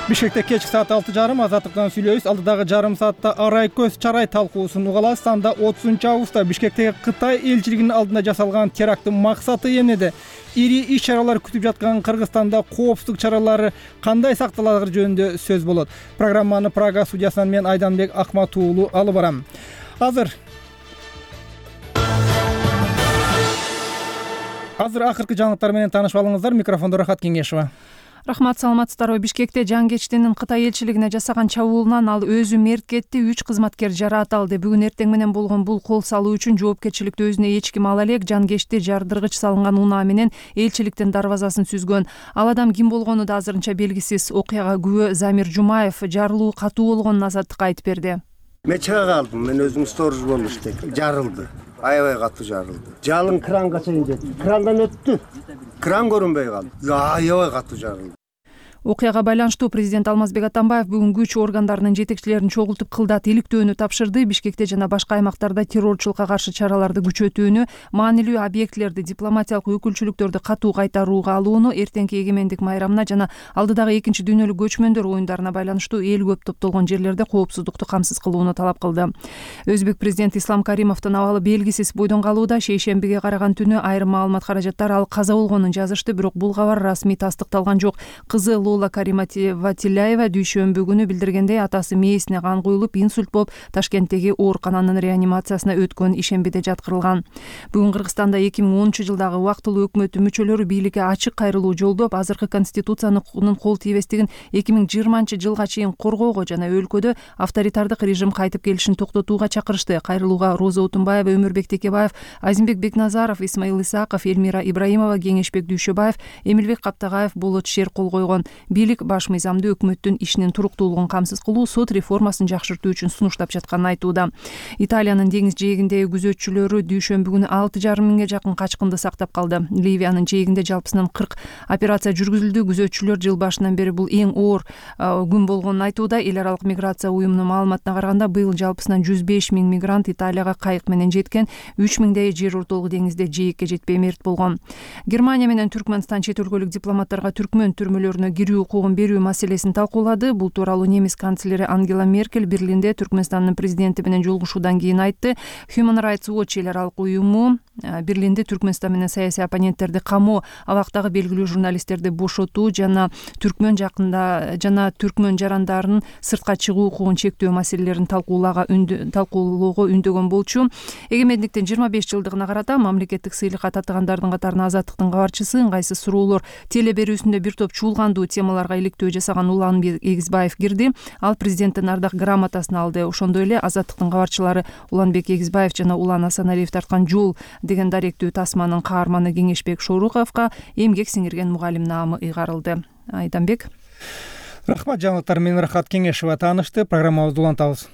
Бишкекте кечки саат 6:30 Азаттыктан сүйлөйбүз. Алдыдагы жарым саатта арай көз чарай талкуусун угаласыз. Анда 30-августта Бишкектеги Кытай элчилигинин алдында жасалган теракттын максаты эмнеде? Ири иш-чаралар күтүп жаткан Кыргызстанда коопсуздук чаралары кандай сакталары жөнүндө сөз болот. Программаны Прага студиясынан мен Айданбек Акматуулу алып барам. Азыр акыркы жаңылыктар менен таанышып алыңыздар. Микрофондо Рахат Кеңешова. Рахмат, саламатсыздарбы. Бишкекте Жангечтинин Кытай элчилигине жасаган чабуулунан ал өзү мерт кетти, 3 кызматкер жараат алды. Бүгүн эртең менен болгон бул кол салуу үчүн жоопкерчиликти өзүнө эч ким ала элек. Жангечти жардыргыч салынган унаа менен элчиликтин дарбазасын сүзгөн. Ал адам ким болгону да азырынча белгисиз. Окуяга күбө Замир Жумаев жарылуу катуу болгонун Азаттыкка айтып берди. Мен чыга калдым, мен өзүм сторож болуп иштейм. Жарылды. Аябай катуу жарылды. Жалын кранга чейин жетти. Крандан өттү. Кран көрүнбөй калды. Аябай катуу жарылды. Окуяга байланыштуу президент Алмазбек Атамбаев бүгүн күч органдарынын жетекчилерин чогултуп кылдат иликтөөнү тапшырды. Бишкекте жана башка аймактарда террорчулукка каршы чараларды күчөтүүнү, маанилүү объектилерди, дипломатиялык өкүлчүлүктөрдү катуу кайтарууга алууну, эртеңки эгемендик майрамына жана алдыдагы 2 дүйнөлүк көчмөндөр оюндарына байланыштуу эл көп топтолгон жерлерде коопсуздукту камсыз кылууну талап кылды. Өзбек президенти Ислам Каримовдун абалы белгисиз бойдон калууда. Шейшембиге караган түнү айрым маалымат каражаттар ал каза болгонун жазышты, бирок бул кабар расмий тастыкталган жок. Кызы Лола Кариматова дүйшөмбү күнү билдиргендей, атасы мээсине кан куюлуп, инсульт болуп, Ташкенттеги оорукананын реанимациясына өткөн ишембиде жаткырылган. Бүгүн Кыргызстанда 2010-жылдагы убактылуу өкмөттүн мүчөлөрү бийликке ачык кайрылуу жолдоп, азыркы конституциянын кол тийбестигин 2020-жылга чейин коргоого жана өлкөдө авторитардык режим кайтып келишин токтотууга чакырышты. Кайрылууга Роза Отунбаева, Өмүрбек Текебаев, Азимбек Бекназаров, Исмаил Исаков, Элмира Ибраимова, Кеңешбек Дүйшөбаев, Эмилбек Каптагаев, Болот Шер кол койгон. Бийлик баш мыйзамдуу өкмөттүн ишинин туруктуулугун камсыз кылуу, сот реформасын жакшыртуу үчүн сунуштап жатканын айтууда. Италиянын деңиз жээгиндеги күзөтчүлөрү дүйшөмбү күнү 6,5 миңге жакын качкынды сактап калды. Ливиянын жээгинде жалпысынан 40 операция жүргүзүлдү. Күзөтчүлөр жыл башынан бери бул эң оор күн болгонун айтууда. Эл аралык миграция уюмунун маалыматына караганда, быйыл жалпысынан 105 миң мигрант Италияга кайык менен жеткен, 3 миңдей жер ортолук деңизде жээкке жетпей мерт болгон. Германия менен Түркмөнстан чет өлкөлүк дипломаттарга түркмөн түрмөлөрүнө кирүү укугун берүү маселесин талкуулады. Бул тууралуу немис канцлери Ангела Меркель Берлинде Түркмөнстандын президенти менен жолугушуудан кийин айтты. Human Rights Watch эл аралык уюму Берлинде Түркмөнстан менен саясий оппоненттерди камоо, абактагы белгилүү журналисттерди бошотуу жана түркмөн жарандарынын сыртка чыгуу укугун чектөө маселелерин талкуулоого үндөгөн болчу. Эгемендиктин 25 жылдыгына карата мамлекеттик сыйлыкка татыгандардын катарына Азаттыктын кабарчысы, ыңгайсыз суроолор телеберүүсүндө бир топ чуулгандуу темаларга иликтөө жасаган Уланбек Эгизбаев кирди. Ал президенттин ардак грамотасын алды. Ошондой эле Азаттыктын кабарчылары Уланбек Эгизбаев жана Улан Асаналиев тарткан жол деген даректүү тасманын каарманы Кеңешбек Шоруковго эмгек сиңирген мугалим наамы ыйгарылды. Айданбек. Рахмат, жаңылыктар менен Рахат Кеңешова таанышты. Программабызды улантабыз.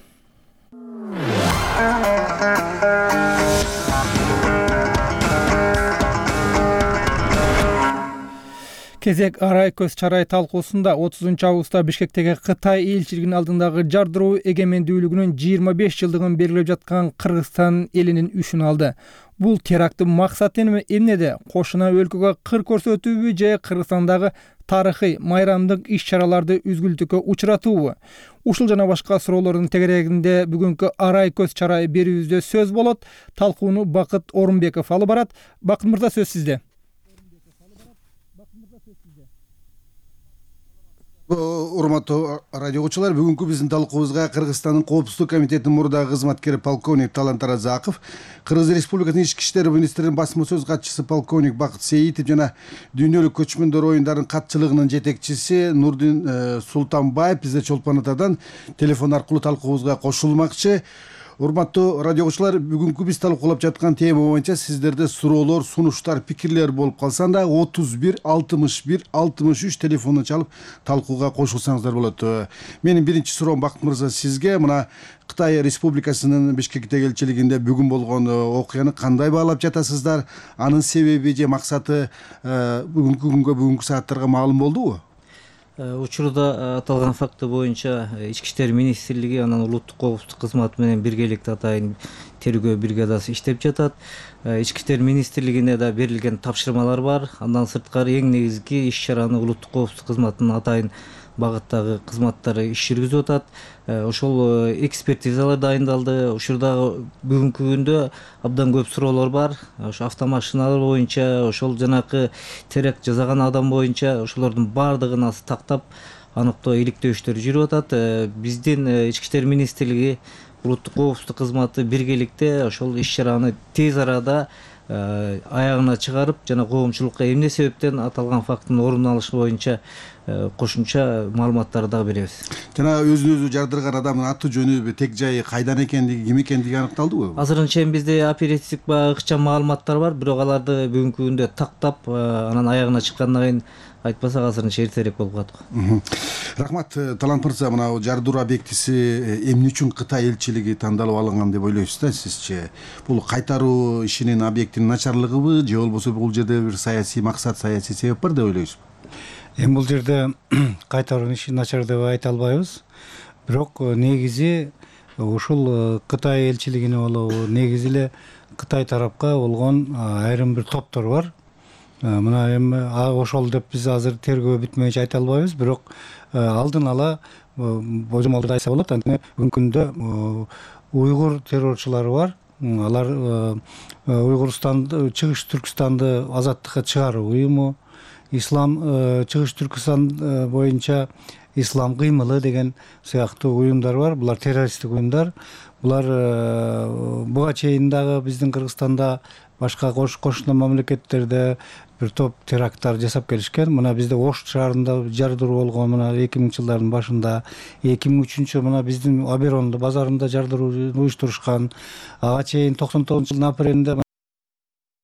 Кезек арай көз чарай талкуусунда 30-августта Бишкектеги Кытай элчилигинин алдындагы жардыруу эгемендүүлүгүнүн 25 жылдыгын белгилеп жаткан Кыргызстан элинин үшүн алды. Бул теракттын максаты эмнеде? Кошуна өлкөгө кыр көрсөтүүбү же Кыргызстандагы тарыхый майрамдык иш-чараларды үзгүлтүккө учуратуубу? Ушул жана башка суроолордун тегерегинде бүгүнкү арай көз чарай берүүбүздө сөз болот. Талкууну Бакыт Орунбеков алып барат. Бакыт мырза, сөз сизде. Урматтуу радио угуучулар, бүгүнкү биздин талкуубузга Кыргызстандын Коопсуздук комитетинин мурдагы кызматкери полковник Талант Таразаков, Кыргыз Республикасынын Ички иштер министринин басма сөз катчысы полковник Бакыт Сейитов жана дүйнөлүк көчмөндөр оюндарынын катчылыгынын жетекчиси Нурдин Султанбаев бизде Чолпон Атадан телефон аркылуу талкуубузга кошулмакчы. Урматтуу радио угуучулар, бүгүнкү биз талкуулап жаткан тема боюнча сиздерде суроолор, сунуштар, пикирлер болуп калса да 31 61 63 телефонун чалып талкууга кошулсаңыздар болот. Менин биринчи суроом, Бакыт мырза, сизге мына Кытай Республикасынын Бишкектеги элчилигинде бүгүн болгон окуяны кандай баалап жатасыздар? Анын себеби же максаты бүгүнкү күнгө, бүгүнкү сааттарга маалым болдубу? Учурда аталган факты боюнча Ички иштер министрлиги анан улуттук коопсуздук кызматы менен биргеликте атайын тергөө бригадасы иштеп жатат. Ички иштер министрлигине да берилген тапшырмалар бар. Андан сырткары эң негизги иш-чараны улуттук коопсуздук кызматынын атайын багыттагы кызматтары иш жүргүзүп атат. Ошол экспертизалар дайындалды. Ушурдагы бүгүнкү күндө абдан көп суроолор бар. Ошо автомашиналар боюнча, ошол жанакы теракт жасаган адам боюнча ошолордун баардыгын азыр тактап аныктоо иликтөө иштери жүрүп атат. Биздин Ички иштер министрлиги, улуттук коопсуздук кызматы биргеликте ошол иш чараны тез арада аягына чыгарып, жана коомчулукка эмне себептен аталган фактынын орун алышы боюнча кошумча маалыматтарды дагы беребиз. Жана өзүн өзү жардырган адамдын аты жөнү, тег жайы кайдан экендиги, ким экендиги аныкталдыбы? Азырынча чейин бизде оперативдик баягы ыкчам маалыматтар бар, бирок аларды бүгүнкү күндө тактап, анан аягына чыккандан кийин айтпасак азырынча эртерээк болуп калат. Рахмат, Талант мырза, мына жардыруу объектиси эмне үчүн Кытай элчилиги тандалып алынган деп ойлойсуз да сизче? Бул кайтаруу ишинин объектинин начарлыгыбы, же болбосо бул жерде бир саясий максат, саясий себеп бар деп ойлойсузбу? Эми бул жерде кайтаруу иши начар деп айта албайбыз. Бирок негизи ушул Кытай элчилигине болобу, негизи эле Кытай тарапка болгон айрым бир топтор бар. Мына эми ошол деп биз азыр тергөө бүтмөйүнчө айта албайбыз, бирок алдын ала божомолду айтса болот. Анткени бүгүнкү күндө уйгур террорчулары бар. Алар Уйгурстанды, Чыгыш Түркстанды азаттыкка чыгаруу уюму, Ислам Чыгыш Түркстан боюнча Ислам кыймылы деген сыяктуу уюмдар бар. Булар террористтик уюмдар. Булар буга чейин дагы биздин Кыргызстанда, башка кошуна мамлекеттерде бир топ теракттар жасап келишкен. Мына бизде Ош шаарында жардыруу болгон, мына 2000-жылдардын башында, 2003 мына биздин Аберондо базарында жардыруу уюштурушкан. Ага чейин 99-жылдын апрелинде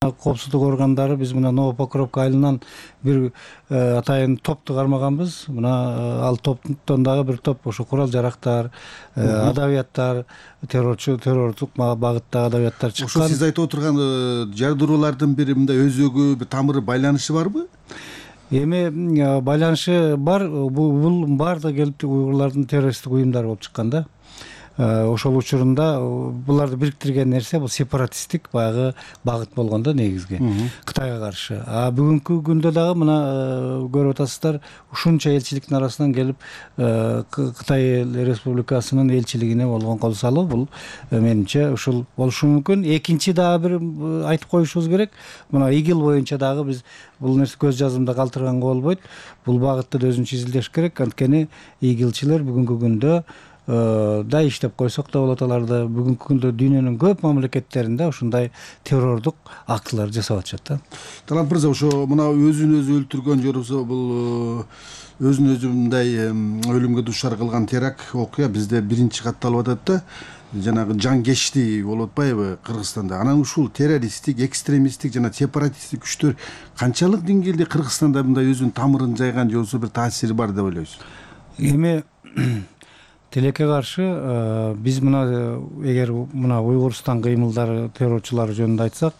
коопсуздук органдары биз мына Новопокровка айылынан бир атайын топту кармаганбыз. Мына ал топтон дагы бир топ ошо курал жарактар, адабияттар, террордук багыттагы адабияттар чыккан. Ошо сиз айтып отурган жардыруулардын бир мындай өзөгү, бир тамыры, байланышы барбы? Эми байланышы бар. Бул баардыгы келип уйгурлардын террористтик уюмдары болуп чыккан да. Ошол учурунда буларды бириктирген нерсе бул сепаратисттик баягы багыт болгон да негизги Кытайга каршы. Бүгүнкү күндө дагы мына көрүп атасыздар, ушунча элчиликтин арасынан келип Кытай Республикасынын элчилигине болгон кол салуу, бул менимче ушул болушу мүмкүн. Экинчи дагы бир айтып коюшубуз керек. Мына ИГИЛ боюнча дагы биз бул нерсе көз жазымда калтырганга болбойт. Бул багытты да өзүнчө изилдеш керек. Анткени ИГИЛчилер бүгүнкү күндө да иштеп койсок да болот, аларды бүгүнкү күндө дүйнөнүн көп мамлекеттеринде ушундай террордук актылар жасап атышат да. Талант мырза, ошо мына өзүн өзү өлтүргөн же болбосо бул өзүн өзү мындай өлүмгө дуушар кылган теракт окуя бизде биринчи катталып атат да. Жанагы жангечти болуп атпайбы Кыргызстанда? Анан ушул террористтик, экстремисттик жана сепаратисттик күчтөр канчалык деңгээлде Кыргызстанда мындай өзүнүн тамырын жайган же болбосо бир таасири бар деп ойлойсуз? Эми тилекке каршы биз мына эгер мына Уйгурстан кыймылдары, террорчулары жөнүндө айтсак,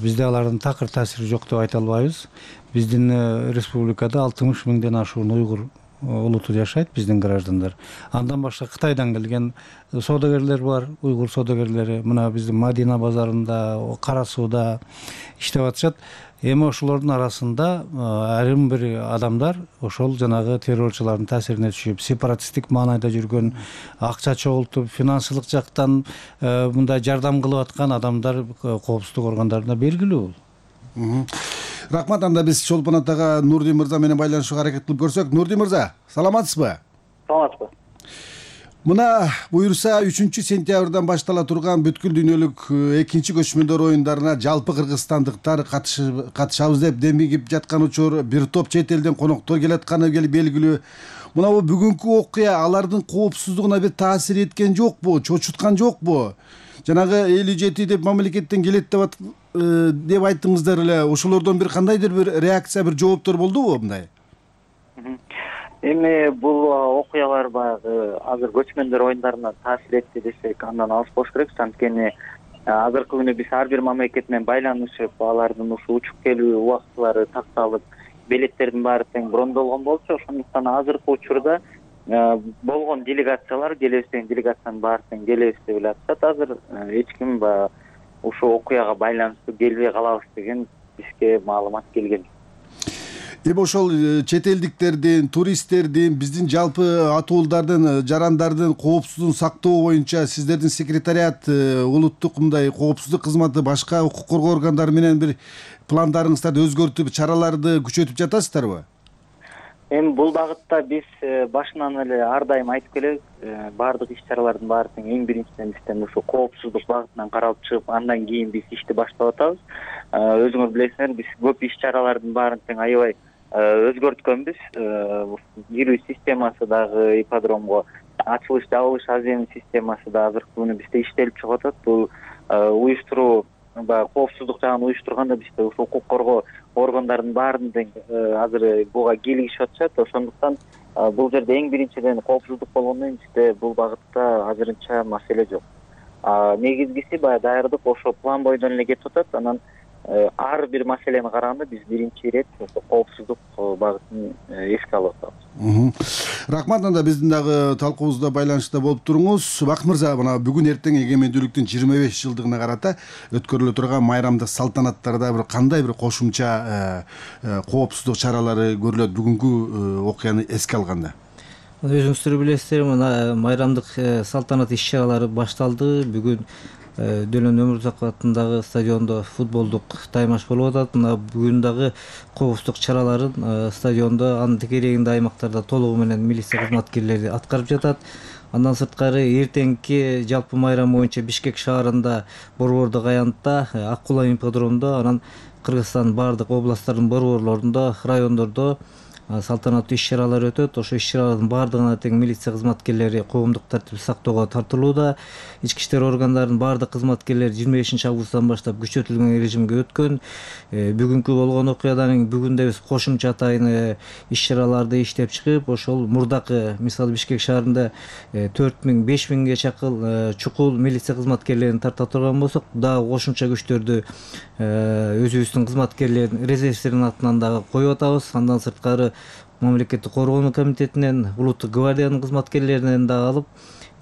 бизде алардын такыр таасири жок деп айта албайбыз. Биздин республикада 60 миңден ашуун уйгур улуту жашайт, биздин граждандар. Андан башка Кытайдан келген содогерлер бар, уйгур содогерлери. Мына биздин Мадина базарында, Кара сууда иштеп атышат. Эми ошолордун арасында айрым бир адамдар ошол жанагы террорчулардын таасирине түшүп, сепаратисттик маанайда жүргөн, акча чогултуп, финансылык жактан мындай жардам кылып аткан адамдар коопсуздук органдарына белгилүү. Рахмат. Анда биз Чолпон атага Нурдин мырза менен байланышууга аракет кылып көрсөк. Нурдин мырза, саламатсызбы? Саламатсызбы. Мына буюрса 3-сентябрдан баштала турган бүткүл дүйнөлүк 2-көчмөндөр оюндарына жалпы кыргызстандыктар катышабыз деп демигип жаткан учур, бир топ чет элден коноктор келатканы белгилүү. Мына бул бүгүнкү окуя алардын коопсуздугуна бир таасир эткен жокпу, чочуткан жокпу? Жанагы 57 деп мамлекеттен келет деп айттыңыздар эле. Ошолордон бир кандайдыр бир реакция, бир жооптор болдубу мындай? Эми бул окуялар баягы азыр көчмөндөр оюндарына таасир этти десек андан алыс болуш керек. Анткени азыркы күнү биз ар бир мамлекет менен байланышып, алардын ушу учуп келүү убактылары такталып, билеттердин баары тең брондолгон болчу. Ошондуктан азыркы учурда болгон делегациялар, келебиз деген делегациянын баары тең келебиз деп эле атышат. Азыр эч ким ушул окуяга байланыштуу келбей калабыз деген бизге маалымат келген. Эми ошол чет элдиктердин, туристтердин, биздин жалпы атуулдардын, жарандардын коопсуздугун сактоо боюнча сиздердин секретариат, улуттук мындай коопсуздук кызматы, башка укук коргоо органдары менен бир пландарыңыздарды өзгөртүп, чараларды күчөтүп жатасыздарбы? Эми бул багытта биз башынан эле ар дайым айтып келебиз, баардык иш-чаралардын баары тең эң биринчиден бизден ушу коопсуздук багытынан каралып чыгып, андан кийин биз ишти баштап атабыз. Өзүңөр билесиңер, биз көп иш-чаралардын баарын тең аябай өзгөрткөнбүз. Кирүү системасы дагы ипподромго, ачылыш жабылыш азем системасы да азыркы күнү бизде иштелип чыгып атат. Бул уюштуруу, баягы коопсуздук жагын уюштурганда бизде ушул укук коргоо органдарынын баарынын тең азыр буга кийлигишип атышат. Ошондуктан бул жерде эң биринчиден коопсуздук болгондон кийин бизде бул багытта азырынча маселе жок. Негизгиси баягы даярдык ошо план бойдон эле кетип атат. Анан ар бир маселени караганда биз биринчи ирет коопсуздук багытын эске алып атабыз. Рахмат. Анда биздин дагы талкуубузда байланышта болуп туруңуз. Бакыт мырза, мына бүгүн эртең эгемендүүлүктүн 25 жылдыгына карата өткөрүлө турган майрамдык салтанаттарда бир кандай бир кошумча коопсуздук чаралары көрүлөт бүгүнкү окуяны эске алганда? Өзүңүздөр билесиздер, мына майрамдык салтанат иш-чаралары башталды. Бүгүн Дөлөн Өмүрзаков атындагы стадиондо футболдук таймаш болуп атат. Мына бүгүн дагы коопсуздук чараларын стадиондо, анын тегерегинде аймактарда толугу менен милиция кызматкерлери аткарып жатат. Андан сырткары эртеңки жалпы майрам боюнча Бишкек шаарында борбордук аянтта, Ак Кулай ипподромдо, анан Кыргызстандын баардык областтардын борборлорунда, райондордо салтанаттуу иш-чаралар өтөт. Ошо иш-чаралардын баардыгына тең милиция кызматкерлери коомдук тартипти сактоого тартылууда. Ички иштер органдарынын баардык кызматкерлери 25 августтан баштап күчөтүлгөн режимге өткөн. Бүгүнкү болгон окуядан кийин бүгүн биз кошумча атайын иш-чараларды иштеп чыгып, ошол мурдакы, мисалы Бишкек шаарында 4000-5000ге чакын чукул милиция кызматкерлерин тарта турган болсок, дагы кошумча күчтөрдү өзүбүздүн кызматкерлердин, резервистердин атынан дагы коюп атабыз. Андан сырткары мамлекеттик коргонуу комитетинен, улуттук гвардиянын кызматкерлеринен дагы алып,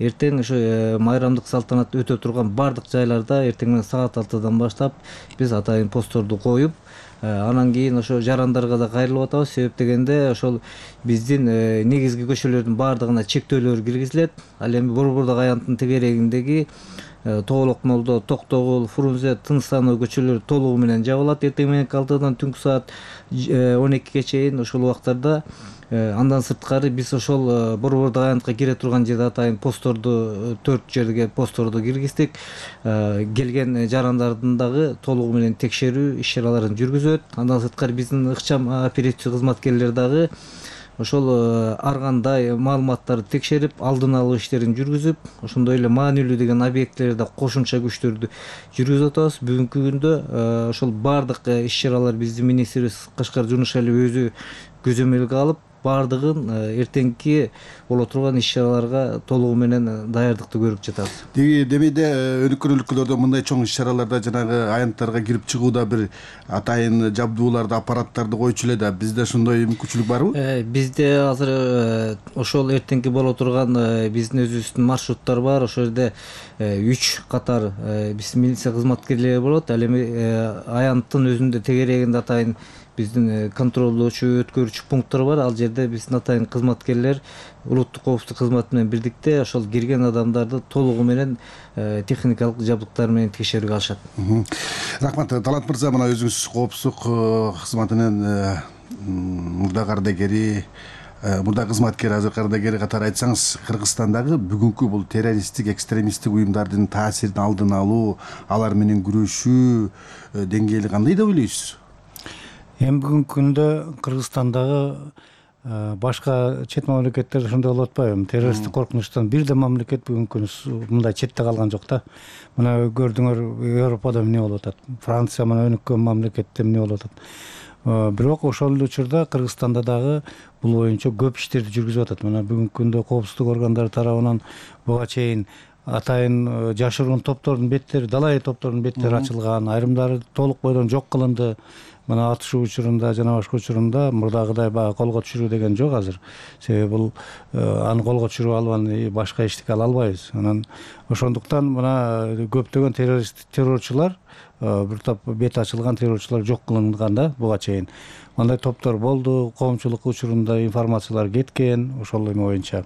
эртең ошо майрамдык салтанат өтө турган баардык жайларда эртең менен саат 6-дан баштап биз атайын постторду коюп, анан кийин ошо жарандарга да кайрылып атабыз. Себеп дегенде ошол биздин негизги көчөлөрдүн баардыгына чектөөлөр киргизилет. Ал эми борбордук аянттын тегерегиндеги Тоолок Молдо, Токтогул, Фрунзе, Тыныстануу көчөлөрү толугу менен жабылат. Эртең мененки 6-дан түнкү саат 12ге чейин ошол убактарда. Андан сырткары биз ошол борбордук аянтка кире турган жерде атайын постторду, 4 жерге постторду киргиздик. Келген жарандардын дагы толугу менен текшерүү иш-чараларын жүргүзөт. Андан сырткары биздин ыкчам оперативдик кызматкерлер дагы ошол ар кандай маалыматтарды текшерип, алдын алуу иштерин жүргүзүп, ошондой эле маанилүү деген объектилерде кошумча күчтөрдү жүргүзүп атабыз. Бүгүнкү күндө ошол баардык иш-чаралар биздин министрибиз Кашкар Жунушалиев өзү көзөмөлгө алып, баардыгын эртеңки боло турган иш-чараларга толугу менен даярдыкты көрүп жатабыз. Демейде өнүккөн өлкөлөрдө мындай чоң иш-чараларда жанагы аянттарга кирип чыгууда бир атайын жабдууларды, аппараттарды койчу эле да. Бизде ошондой мүмкүнчүлүк барбы? Бизде азыр ошол эртеңки боло турган биздин өзүбүздүн маршруттар бар. Ошол жерде 3 катар биздин милиция кызматкерлери болот. Ал эми аянттын өзүндө тегерегинде атайын биздин контролдоочу, өткөрүүчү пункттар бар. Ал жерде биздин атайын кызматкерлер улуттук коопсуздук кызматы менен бирдикте ошол кирген адамдарды толугу менен техникалык жабдыктар менен текшерүүгө алышат. Рахмат. Талант мырза, мына өзүңүз коопсуздук кызматынын мурда кардагери, мурда кызматкер, азыр кардагери катары айтсаңыз, Кыргызстандагы бүгүнкү бул террористтик, экстремисттик уюмдардын таасирин алдын алуу, алар менен күрөшүү деңгээли кандай деп ойлойсуз? Эми бүгүнкү күндө Кыргызстандагы башка чет мамлекеттерде ошондой болуп атпайбы? Террористтик коркунучтан бир да мамлекет бүгүнкү күндө мындай четте калган жок да. Мына көрдүңөр, Европада эмне болуп атат, Франция мына өнүккөн мамлекетте эмне болуп атат. Бирок ошол эле учурда Кыргызстанда дагы бул боюнча көп иштерди жүргүзүп атат. Мына бүгүнкү күндө коопсуздук органдары тарабынан буга чейин атайын жашыруун топтордун беттери, далай топтордун беттери ачылган, айрымдары толук бойдон жок кылынды. мына атышуу учурунда жана башка учурунда мурдагыдай баягы колго түшүрүү деген жок азыр. Себеби бул аны колго түшүрүп алып башка иштикке ала албайбыз. Анан ошондуктан мына көптөгөн террорчулар, бир топ бет ачылган террорчулар жок кылынган да буга чейин. Мындай топтор болду, коомчулук учурунда информациялар кеткен, ошол эме боюнча.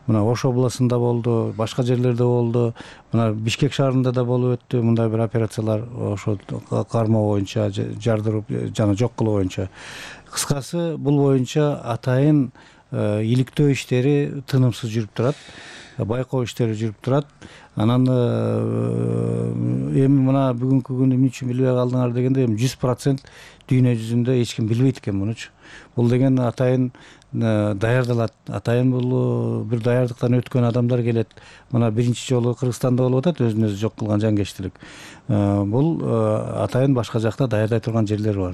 Мына Ош областында болду, башка жерлерде болду. Мына Бишкек шаарында да болуп өттү мындай бир операциялар, ошо кармоо боюнча, жардырып жана жок кылуу боюнча. Кыскасы, бул боюнча атайын иликтөө иштери тынымсыз жүрүп турат, байкоо иштери жүрүп турат. Анан эми мына бүгүнкү күнү эмне үчүн билбей калдыңар дегенде, 100% дүйнө жүзүндө эч ким билбейт экен мунучу. Бул деген атайын даярдалат. Атайын бул бир даярдыктан өткөн адамдар келет. Мына биринчи жолу Кыргызстанда болуп атат өзүн өзү жок кылган жангечтилик. Бул атайын башка жакта даярдай турган жерлер бар.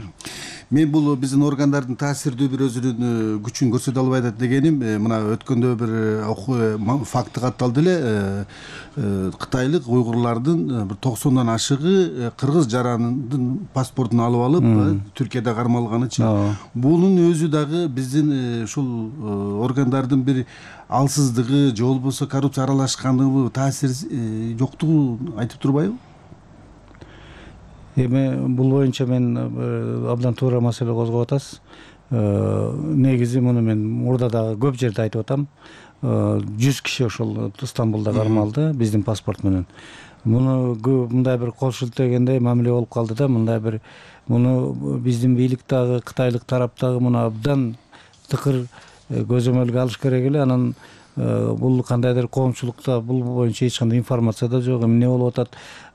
Мен бул биздин органдардын таасирдүү бир өзүнүн күчүн көрсөтө албай атат дегеним, мына өткөндө бир факты катталды эле. Кытайлык уйгурлардын бир 90дан ашыгы кыргыз жарандын паспортун алып алып Түркияда кармалганычы. Бунун өзү дагы биздин ушул органдардын бир алсыздыгы же болбосо коррупция аралашкандыгы таасири жоктугу айтып турбайбы? Эми бул боюнча мен абдан туура маселе козгоп атасыз. Негизи муну мен мурда дагы көп жерде айтып атам. 100 киши ошол Стамбулда кармалды биздин паспорт менен. Муну мындай бир кол шилтегендей мамиле болуп калды да, мындай бир муну биздин бийлик дагы Кытайлык тараптагы муну абдан тыкыр көзөмөлгө алыш керек эле. Анан бул кандайдыр коомчулукта бул боюнча эч кандай информация да жок. Эмне болуп атат?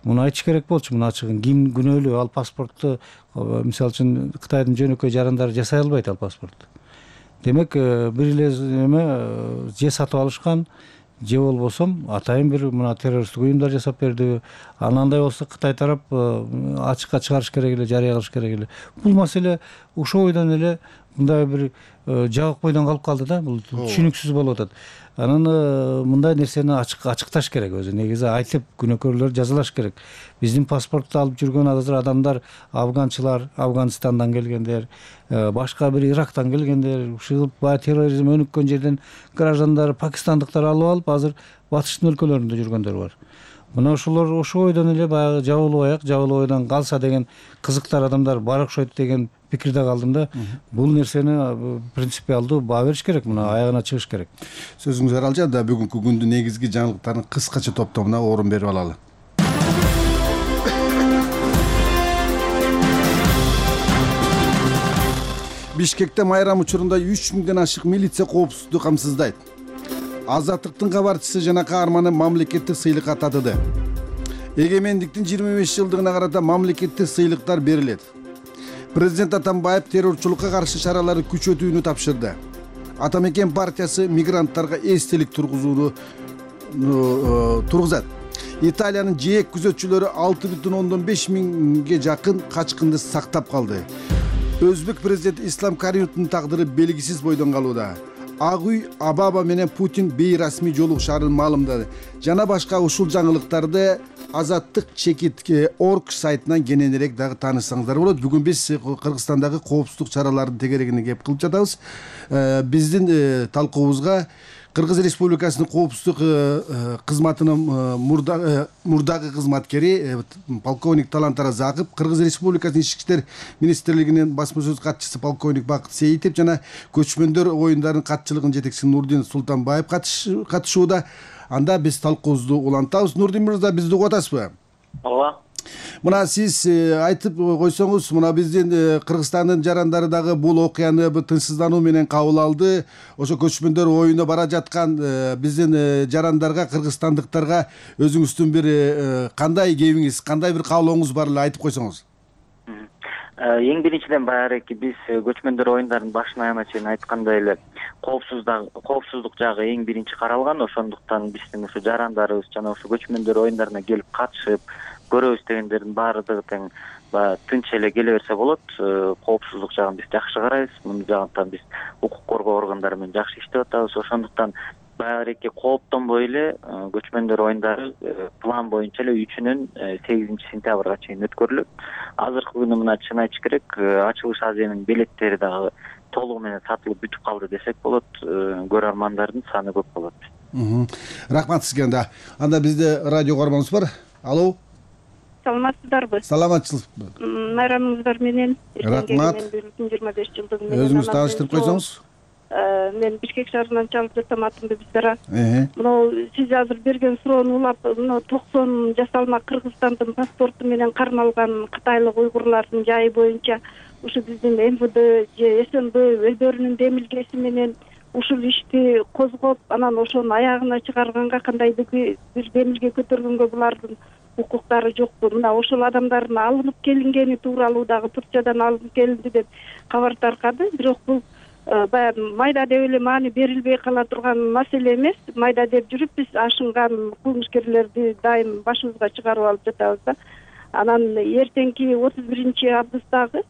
Муну айтыш керек болчу, муну ачыгын. Ким күнөөлүү? Ал паспортту мисалы үчүн Кытайдын жөнөкөй жарандары жасай албайт ал паспорту. Демек, бир эле эме же сатып алышкан, же болбосо атайын бир мына террористтик уюмдар жасап берди. Анандай болсо Кытай тарап ачыкка чыгарыш керек эле, жарыя кылыш керек эле. Бул маселе ошол бойдон эле мындай бир жабык бойдон калып калды да, бул түшүнүксүз болуп атат. Анан мындай нерсени ачыкташ керек өзү. Негизи айтып күнөөкөрлөр жазалаш керек. Биздин паспортду алып жүргөн азыр адамдар афганчылар, Афганистандан келгендер, башка бир Ирактан келгендер, ушул баягы терроризм өнүккөн жерден граждандар, пакистандыктар алып алып азыр батыштын өлкөлөрүндө жүргөндөр бар. Мына ошолор ошол ойдон эле баягы жабылуу ойдон калса деген кызыктар адамдар бар окшойт деген пикирде калдым да. Бул нерсени принципиалдуу баа бериш керек, мына аягына чыгыш керек. Сөзүңүз аралжан да бүгүнкү күндүн негизги жаңылыктарын кыскача топтомуна орун берип алалы. Бишкекте майрам учурунда 3000ден ашык милиция коопсуздукту камсыздайт. Азаттыктын кабарчысы жана каарманы мамлекеттик сыйлыкка татыды. Эгемендиктин 25 жылдыгына карата мамлекеттик сыйлыктар берилет. Президент Атамбаев террорчулукка каршы чараларды күчөтүүнү тапшырды. Атамекен партиясы мигранттарга эстелик тургузат. Италиянын ЖЭК күзөтчүлөрү 6,5 миңге жакын качкынды сактап калды. Өзбек президенти Ислам Каримовдун тагдыры белгисиз бойдон калууда. Ак үй Абаба менен Путин бейрасмий жолугушаарын маалымдады. Жана башка ушул жаңылыктарды Азаттык чекит.org сайтынан кененирээк дагы таанышсаңыздар болот. Бүгүн биз Кыргызстандагы коопсуздук чараларынын тегерегине кеп кылып жатабыз. Биздин талкуубузга Кыргыз Республикасынын коопсуздук кызматынын мурдагы кызматкери полковник Талант Аразаков, Кыргыз Республикасынын Ички иштер министрлигинин басма сөз катчысы полковник Бакыт Сейитов жана көчмөндөр оюндарынын катчылыгынын жетекчиси Нурдин Султанбаев катышууда. Анда биз талкуубузду улантабыз. Нурдин мырза, бизди угуп атасызбы? Ооба. Мына сиз айтып койсоңуз, мына биздин Кыргызстандын жарандары дагы бул окуяны тынчсыздануу менен кабыл алды. Ошо көчмөндөр оюна бара жаткан биздин жарандарга, кыргызстандыктарга өзүңүздүн бир кандай кебиңиз, кандай бир каалооңуз бар эле айтып койсоңуз. Эң биринчиден баягы биз көчмөндөр оюндарынын башынан аягына чейин айткандай эле коопсуздук жагы эң биринчи каралган. Ошондуктан биздин ушу жарандарыбыз жана ушу көчмөндөр оюндарына келип катышып көрөбүз дегендердин баардыгы тең тынч эле келе берсе болот. Коопсуздук жагын биз жакшы карайбыз. Муну жагынан биз укук коргоо органдары менен жакшы иштеп атабыз. Ошондуктан баягы кооптонбой эле көчмөндөр оюндары план боюнча эле 3-нөн 8-сентябрга чейин өткөрүлөт. Азыркы күнү мына чын айтыш керек, ачылыш азиянын билеттери дагы толугу менен сатылып бүтүп калды десек болот. Көрөрмандардын саны көп болот. Рахмат сизге. Анда бизде радио көрөрманыбыз бар. Алло. Саламатсыздарбы? Саламатчылык. Майрамыңыздар менен. Рахмат. 25 жылдыгы менен. Өзүңүз тааныштырып койсоңуз. Мен Бишкек шаарынан чалып жатам, атым Бибизара. Мына сиз азыр берген суроону улап, мына 90 жасалма Кыргызстандын паспорту менен кармалган кытайлык уйгурлардын жайы боюнча ушу биздин МВД же СНБ өздөрүнүн демилгеси менен ушул ишти козгоп, анан ошону аягына чыгарганга, кандайдыр бир демилге көтөргөнгө булардын укуктары жокпу. Мына ошол адамдардын алынып келингени тууралуу дагы Турциядан алынып келинди деп кабар таркады. Бирок бул баягы майда деп эле маани берилбей кала турган маселе эмес. Майда деп жүрүп биз ашынган кылмышкерлерди дайым башыбызга чыгарып алып жатабыз да. Анан эртеңки 31-августтагы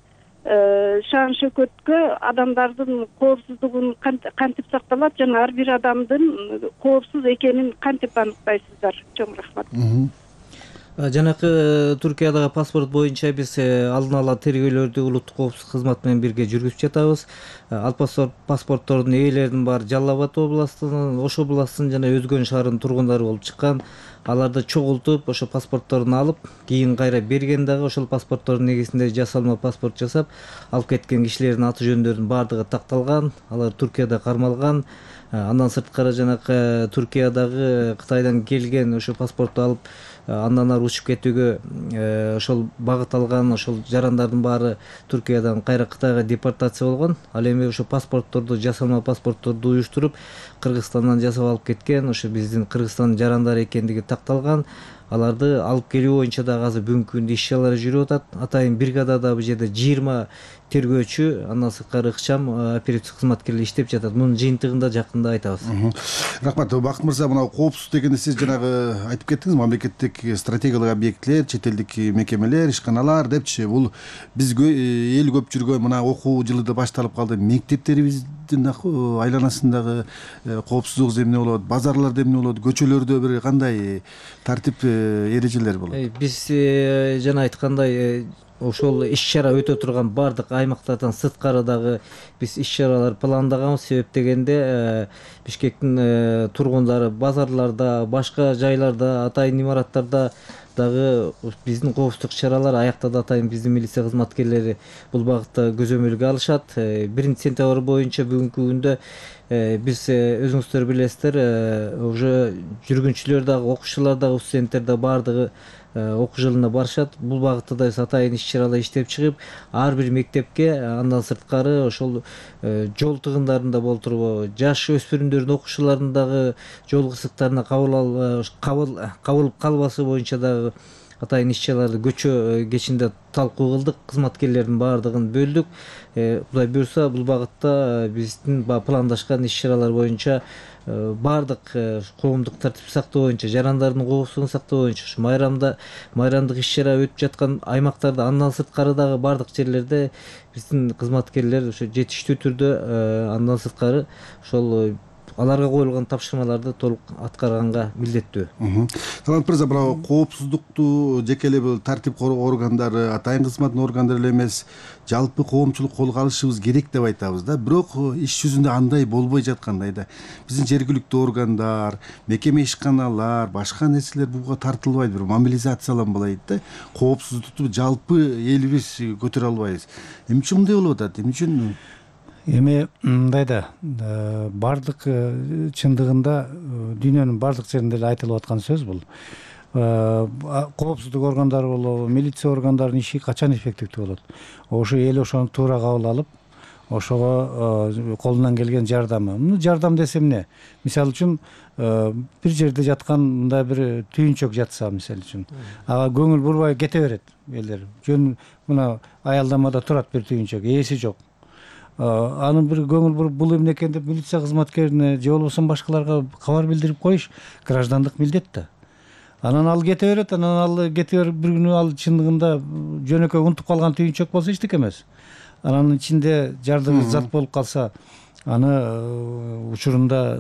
шаан шөкөткө адамдардын коопсуздугун кантип сакталат жана ар бир адамдын коопсуз экенин кантип аныктайсыздар? Чоң рахмат. Жанакы Туркиядагы паспорт боюнча биз алдын ала тергөөлөрдү улуттук коопсуздук кызматы менен бирге жүргүзүп жатабыз. Ал паспорттордун ээлеринин баары Жалал Абад областынын, Ош областынын жана Өзгөн шаарынын тургундары болуп чыккан. Аларды чогултуп, ошо паспортторун алып, кийин кайра берген дагы ошол паспорттордун негизинде жасалма паспорт жасап, алып кеткен кишилердин аты жөндөрүнүн баардыгы такталган. Алар Туркияда кармалган. Андан сырткары жанакы Туркиядагы Кытайдан келген ошо паспорту алып, андан ары учуп кетүүгө ошол багыт алган ошол жарандардын баары Туркиядан кайра Кытайга депортация болгон. Ал эми ошо паспортторду, жасалма паспортторду уюштуруп Кыргызстандан жасап алып кеткен, ошо биздин Кыргызстандын жарандары экендиги такталган. Аларды алып келүү боюнча дагы азыр бүгүнкү күндө иш-чаралар жүрүп атат. Атайын бригадада бул жерде 20 тергөөчү, андан сырткары ыкчам оперативдик кызматкерлер иштеп жатат. Мунун жыйынтыгында жакында айтабыз. Рахмат. Бакыт мырза, мына коопсуздук дегенде сиз жанагы айтып кеттиңиз, мамлекеттик стратегиялык объектилер, чет элдик мекемелер, ишканалар депчи. Бул биз эл көп жүргөн мына окуу жылы да башталып калды. Мектептерибиздин айланасындагы коопсуздук эмне болот, базарларда эмне болот, көчөлөрдө бир кандай тартип эрежелер болот? Биз жана айткандай ошол иш-чара өтө турган баардык аймактардан сырткары дагы биз иш-чаралар пландаганбыз. Себеп дегенде Бишкектин тургундары базарларда, башка жайларда, атайын имараттарда дагы биздин коопсуздук чаралар аяктады. Атайын биздин милиция кызматкерлери бул багытта көзөмөлгө алышат. 1-сентябрь боюнча бүгүнкү күндө биз өзүңүздөр билесиздер, уже жүргүнчүлөр дагы, окуучулар дагы, студенттер да баардыгы окуу жылына барышат. Бул багытта да биз атайын иш-чаралар иштеп чыгып, ар бир мектепке, андан сырткары ошол жол тыгындарында болтуруп, жаш өспүрүмдөрдүн, окуучулардын дагы жол кырсыктарына кабылып калбасы боюнча дагы атайын иш-чараларды көчө кечинде талкуу кылдык. Кызматкерлердин баардыгын бөлдүк. Кудай буюрса, бул багытта биздин пландашкан иш-чаралар боюнча баардык коомдук тартип сактоо боюнча, жарандардын коопсуздугун сактоо боюнча майрамдык иш-чара өтүп жаткан аймактарда, андан сырткары дагы баардык жерлерде биздин кызматкерлер ошо жетиштүү түрдө, андан сырткары ошол аларга коюлган тапшырмаларды толук аткарганга милдеттүү. Талант мырза, мына коопсуздукту жеке эле бул тартип коргоо органдары, атайын кызматтын органдары эле эмес, жалпы коомчулук колго алышыбыз керек деп айтабыз да. Бирок иш жүзүндө андай болбой жаткандай да. Биздин жергиликтүү органдар, мекеме ишканалар, башка нерселер буга тартылбайт, бир мобилизацияланбайт да. Коопсуздукту жалпы элибиз көтөрө албайбыз. Эмне үчүн мындай болуп атат? Эмне үчүн? Эми мындай да, баардык чындыгында дүйнөнүн баардык жеринде эле айтылып аткан сөз бул. Коопсуздук органдары болобу, милиция органдарынын иши качан эффективдүү болот? Ошо эл ошону туура кабыл алып, ошого колунан келген жардамы. Муну жардам десе эмне? Мисалы үчүн бир жерде жаткан мындай бир түйүнчөк жатса, мисалы үчүн, ага көңүл бурбай кете берет элдер. Жөн мына аялдамада турат бир түйүнчөк, ээси жок. Анын бир көңүл буруп, бул эмне экен деп милиция кызматкерине же болбосо башкаларга кабар билдирип коюш граждандык милдет да. Анан ал кете берет, анан ал кете берип бир күнү ал чындыгында жөнөкөй унутуп калган түйүнчөк болсо эчтеке эмес. Анын ичинде жардымсыз зат болуп калса, аны учурунда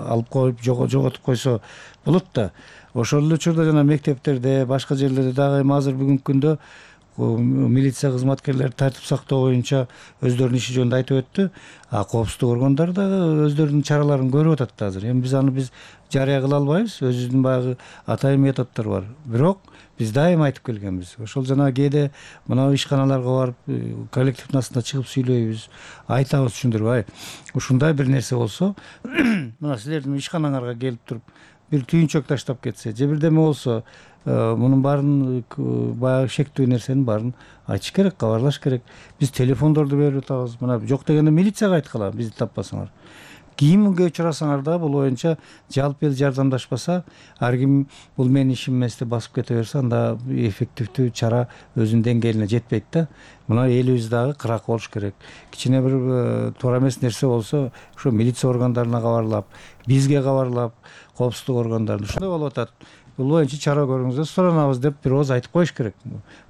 алып коюп жоготуп койсо болот да. Ошол эле учурда жана мектептерде, башка жерлерде дагы эми азыр бүгүнкү күндө милиция кызматкерлери тартип сактоо боюнча өздөрүнүн иши жөнүндө айтып өттү. Коопсуздук органдары дагы өздөрүнүн чараларын көрүп атат да азыр. Эми биз жарыя кыла албайбыз, өзүбүздүн баягы атайын методдор бар. Бирок биз дайыма айтып келгенбиз. Ошол жана кээде мына ишканаларга барып, коллективдин астында чыгып сүйлөйбүз, айтабыз, түшүндүрүп, ушундай бир нерсе болсо, мына силердин ишканаңарга келип туруп бир түйүнчөк таштап кетсе, же бирдеме болсо, мунун баарын баягы шектүү нерсенин баарын айтыш керек, кабарлаш керек. Биз телефондорду берип атабыз. Мына жок дегенде милицияга айткыла, бизди таппасаңар. Кийимге учурасаңар да бул боюнча жалпы эл жардамдашпаса, ар ким бул менин ишим эмес деп басып кете берсе, анда эффективдүү чара өзүнүн деңгээлине жетпейт да. Мына элибиз дагы кырак болуш керек. Кичине бир туура эмес нерсе болсо, ошо милиция органдарына кабарлап, бизге кабарлап, коопсуздук органдарына ушундай болуп атат. Бул боюнча чара көрүңүздөр, суранабыз деп бир ооз айтып коюш керек.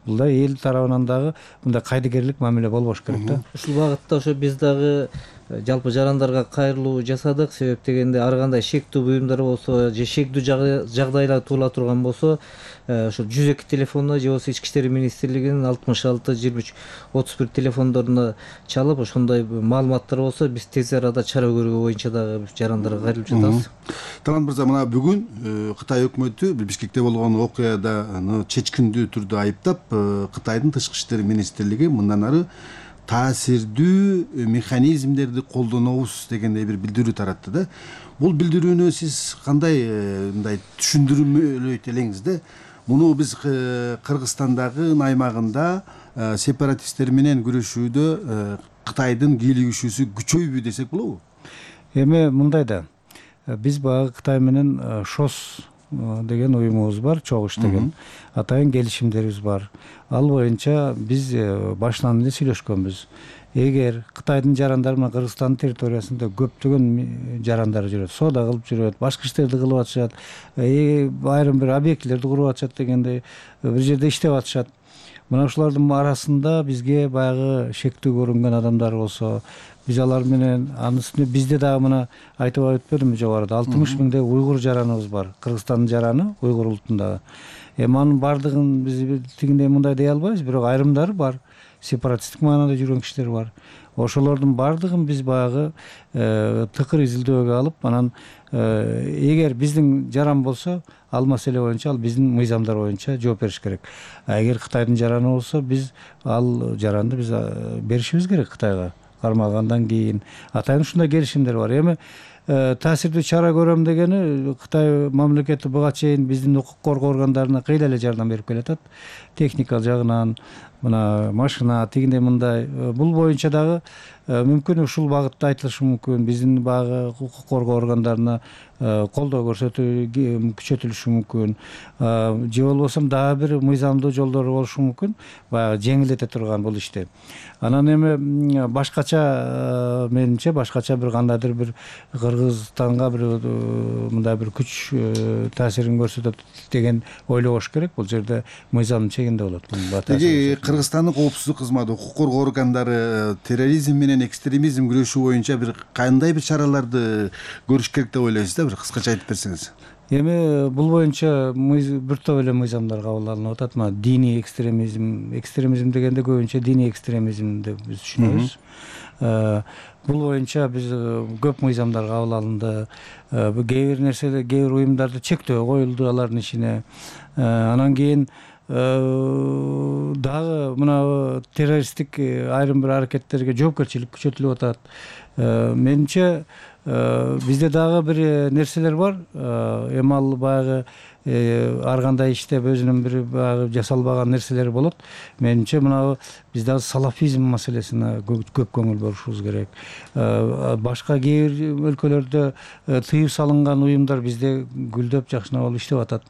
Бул да эл тарабынан дагы мындай кайдыгерлик мамиле болбош керек да. Ушул багытта ошо биз дагы жалпы жарандарга кайрылуу жасадык. Себеп дегенде ар кандай шектүү буюмдар болсо же шектүү жагдайлар туула турган болсо, ошо 102 телефонуна же болбосо Ички иштер министрлигинин 66 23 31 телефондоруна чалып, ошондой маалыматтар болсо биз тез арада чара көрүү боюнча дагы жарандарга кайрылып жатабыз. Талант мырза, мына бүгүн Кытай өкмөтү Бишкекте болгон окуяда чечкиндүү түрдө айыптап, Кытайдын тышкы иштер министрлиги мындан ары таасирдүү механизмдерди колдонобуз дегендей бир билдирүү таратты да. Бул билдирүүнү сиз кандай мындай түшүндүрмөлөйт элеңиз да? Муну биз Кыргызстандагы аймагында сепаратисттер менен күрөшүүдө Кытайдын кийлигишүүсү күчөйбү десек болобу? Эми мындай да. Биз баягы Кытай менен ШОС деген уюмубуз бар, чогуш деген атайын келишимдерибиз бар. Ал боюнча биз башынан эле сүйлөшкөнбүз. Эгер Кытайдын жарандары менен Кыргызстандын территориясында көптөгөн жарандар жүрөт, соода кылып жүрөт, башка иштерди кылып атышат, айрым бир объектилерди куруп атышат дегендей, бир жерде иштеп атышат. Мына ушулардын арасында бизге баягы шектүү көрүнгөн адамдар болсо, биз алар менен анын үстүнө бизде дагы мына айтып өтпөдүмбү жогоруда 60 миңдей уйгур жараныбыз бар. Кыргызстандын жараны уйгур улутундагы. Эми анын бардыгын биз тигиндей мындай дей албайбыз, бирок айрымдары бар. Сепаратисттик маанада жүргөн кишилер бар. Ошолордун бардыгын биз баягы тыкыр изилдөөгө алып, анан эгер биздин жаран болсо, ал маселе боюнча ал биздин мыйзамдар боюнча жооп бериш керек. Эгер Кытайдын жараны болсо, биз ал жаранды биз беришибиз керек Кытайга. Кармалгандан кийин атайын ушундай келишимдер бар. Эми таасирдүү чара көрөм дегени Кытай мамлекети буга чейин биздин укук коргоо органдарына кыйла эле жардам берип келатат. Техника жагынан, мына машина тигиндей мындай. Бул боюнча дагы мүмкүн ушул багытта айтылышы мүмкүн. Биздин багы укук коргоо органдарына колдоо көрсөтүү күчөтүлүшү мүмкүн. Же болбосо дагы бир мыйзамдуу жолдор болушу мүмкүн. Баягы жеңилдете турган бул ишти. Анан эми башкача менимче башкача бир кандайдыр бир Кыргызстанга бир мындай бир күч таасирин көрсөтөт деген ойлобош керек. Бул жерде мыйзамдын чегинде болот. Эги Кыргызстандын коопсуздук кызматы, укук коргоо органдары терроризм менен экстремизм күрөшүү боюнча бир кандай бир чараларды көрүш керек деп ойлойсуз да, бир кыскача айтып берсеңиз. Эми бул боюнча бир топ эле мыйзамдар кабыл алынып атат. Мына диний экстремизм дегенде көбүнчө диний экстремизм деп биз түшүнөбүз. Бул боюнча биз көп мыйзамдар кабыл алынды. Кээ бир нерселер, кээ бир уюмдарды чектөө коюлду алардын ишине. Анан кийин дагы мына террористтик айрым бир аракеттерге жоопкерчилик күчөтүлүп атат. Менимче бизде дагы бир нерселер бар. Эми ал баягы ар кандай иштеп өзүнүн бир баягы жасалбаган нерселери болот. Менимче мына биз дагы салафизм маселесине көп көңүл бурушубуз керек. Башка кээ бир өлкөлөрдө тыюу салынган уюмдар бизде гүлдөп жакшына болуп иштеп атат.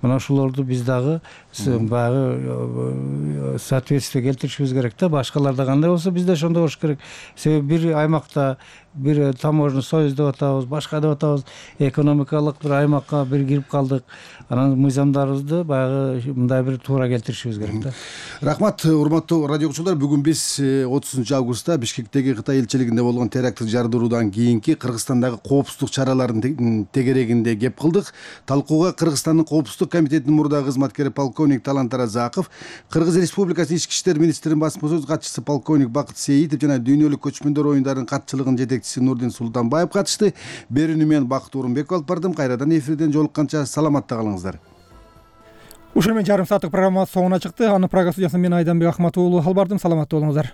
Мына ошолорду биз дагы баягы соответствие келтиришибиз керек да. Башкаларда кандай болсо бизде ошондой болуш керек. Себеби бир аймакта бир таможня союз деп атабыз, башка деп атабыз, экономикалык бир аймакка бир кирип калдык. анан мыйзамдарыбызды баягы мындай бир туура келтиришибиз керек да. Рахмат, урматтуу радио угуучулар. Бүгүн биз 30-августта Бишкектеги Кытай элчилигинде болгон теракттык жардыруудан кийинки Кыргызстандагы коопсуздук чараларынын тегерегинде кеп кылдык. Талкууга Кыргызстандын коопсуздук комитетинин мурдагы кызматкери полковник Талант Оразаков, Кыргыз Республикасы Ички иштер министринин басма сөз катчысы полковник Бакыт Сеитов жана дүйнөлүк көчмөндөр оюндарынын катчылыгынын жетекчиси Нурдин Султанбаев катышты. Берүүнү мен Бакыт Орунбеков алып бардым. Кайрадан эфирден жолукканча саламатта калыңыздар. Ушул менен жарым сааттык программабыз соңуна чыкты. Анын программа студиясынан мен Айданбек Ахматов уулу алып бардым. Саламатта болуңуздар.